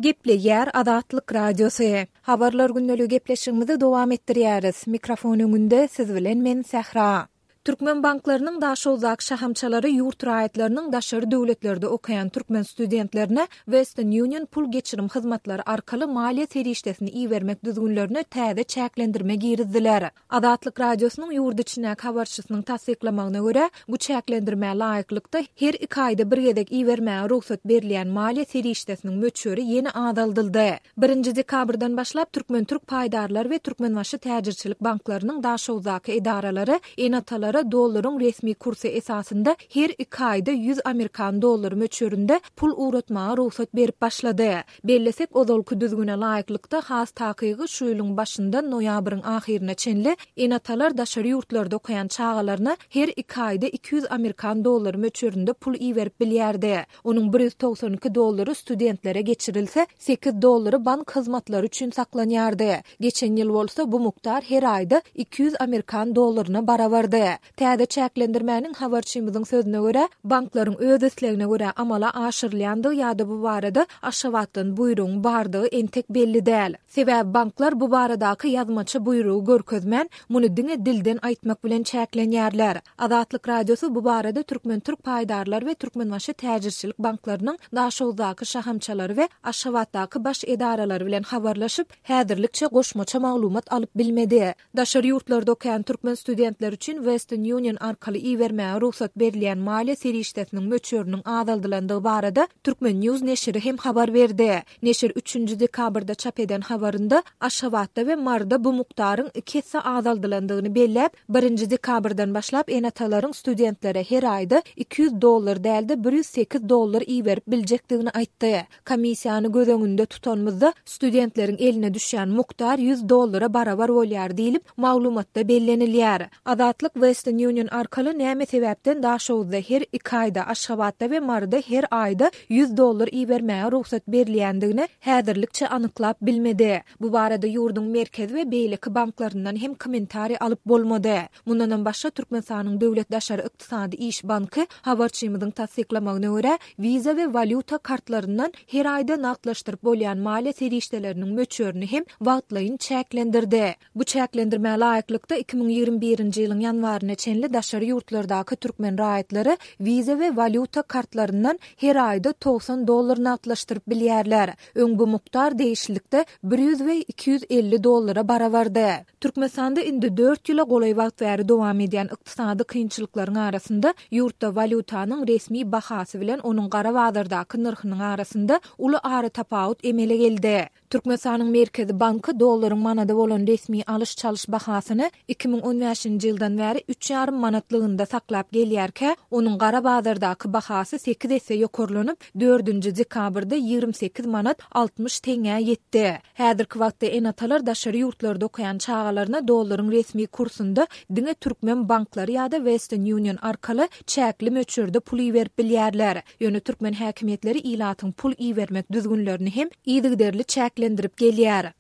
Gepleýär Azatlyk Radiosy. Habarlar gündeligi gepleşigimizi dowam etdirýäris. Mikrofon öňünde siz bilen men Sähra. Türkmen banklarynyň Daşoguzdaky şahamçalary ýurt raýatlarynyň daşary döwletlerde okaýan türkmen studentlerine Western Union pul geçirim hyzmatlary arkaly maliýe serişdesini ibermek düzgünlerine täze çäklendirme girizdiler. Azatlyk Radiosynyň ýurt içindäki habarçysynyň tassyklamagyna görä, bu çäklendirmä laýyklykda, her iki aýda bir gezek ibermäge rugsat berilýän maliýe serişdesiniň möçberi ýene azaldyldy. Birinji dekabrdan başlap Türkmen-türk paýdarlar we Türkmenbaşy täjirçilik banklarynyň Daşoguzdaky edaralary ene-atalara dollaryň resmi kursy esasynda her iki aýda 100 amerikan dollary möçberinde pul ugratmaga rugsat berip başlady. Bellesek, ozalky düzgüne laýyklykda, has takygy şu ýylyň başyndan noýabryň ahyryna çenli ene-atalar daşary ýurtlarda okaýan çagalaryna her iki aýda 200 amerikan dollary möçberinde pul iberip bilýärdi. Onuň 192 dollary studentlere geçirilse, sekiz dollary bank hyzmatlary üçin saklanýardy. Geçen ýyl bolsa bu mukdar her aýda 200 amerikan dollaryna barabardy. Täze çäklendirmäniň habarçymyzyň sözüne görä, banklaryň öz islegine görä amala aşyrylýandygy ýa-da bu barada Aşgabatdan buýrugyň bardygy entek belli däl. Sebäbi banklar bu baradaky ýazmaça buýrugy görkezmän, muny diňe dilden aýtmak bilen çäklenýärler. Azatlyk Radiosy bu barada Türkmen-türk paýdarlar we Türkmenbaşy täjirçilik banklarynyň Daşoguzdaky şahamçalary we Aşgabatdaky baş edaralary bilen habarlaşyp, häzirlikçe goşmaça maglumat alyp bilmedi. Daşary ýurtlarda okaýan türkmen studentleri üçin Western Union arkaly ibermäge rugsat berilýän maliýe serişdesiniň möçberiniň azaldylandygy barada Turkmen. News neşiri hem habar berdi. Neşir üçünji dekabrda çap eden habarynda Aşgabatda we Maryda bu mukdaryň iki esse azaldylandygyny belläp, birinji dekabrdan başlap ene-atalaryň studentlere her aýda 200 dollar däl-de 108 dollar iberip biljekdigini aýtdy. Komissiýany göz öňünde tutanymyzda, studentleriň eline düşýän mukdar 100 dollara barabar bolýar diýlip, maglumatda bellenilýär. Azatlyk Western Union arkaly näme sebäpden Daşoguzda her iki aýda, Aşgabatda we Maryda her aýda 100 dollar ibermäge rugsat berilýändigini häzirlikçe anyklap bilmedi. Bu barada ýurduň merkezi we beýleki banklaryndan hem kommentariý alyp bolmady. Mundanam başga, Türkmenistanyň Döwlet daşary ykdysady iş banky habarçymyzyň tassyklamagyna görä, Visa we walýuta kartlaryndan her aýda nagtlaşdyryp bolýan maliýe serişdeleriniň möçberini hem wagtlaýyn çäklendirdi. Bu çäklendirmä laýyklykda, 2021-nji ýylyň ýanwaryna çenli daşary ýurtlardaky türkmen raýatlary Visa we walýuta kartlaryndan her aýda 90 dollar nagtlaşdyryp bilýärler. Öň bu mukdar degişlilikde 100 we 250 dollara barabardy. Türkmenistanda indi dört ýyla golaý wagt bäri dowam edýän ykdysady kynçylyklaryň arasynda ýurtda walýutanyň resmi bahasy bilen onuň gara bazardaky nyrhynyň arasynda uly aratapawut emele geldi. Türkmenistanyň Merkezi banky dollaryň manada bolan resmi alyş-çalyş bahasyny 2015-nji ýyldan bäri üç ýarym manatlygynda saklap gelýärkä, onuň gara bazardaky bahasy sekiz esse ýokarlanyp, dördünji dekabrda 28 manat 60 teňňä ýetdi. Häzirki wagtda ene-atalar daşary ýurtlarda okaýan çagalaryna dollaryň resmi kursunda diňe türkmen banklary ýa-da Western Union arkaly çäkli möçberde pul iberip bilýärler. Ýöne türkmen häkimiýetleri ilatyň pul ibermek düzgünlerini hem yzygiderli çäklendirip gelýär.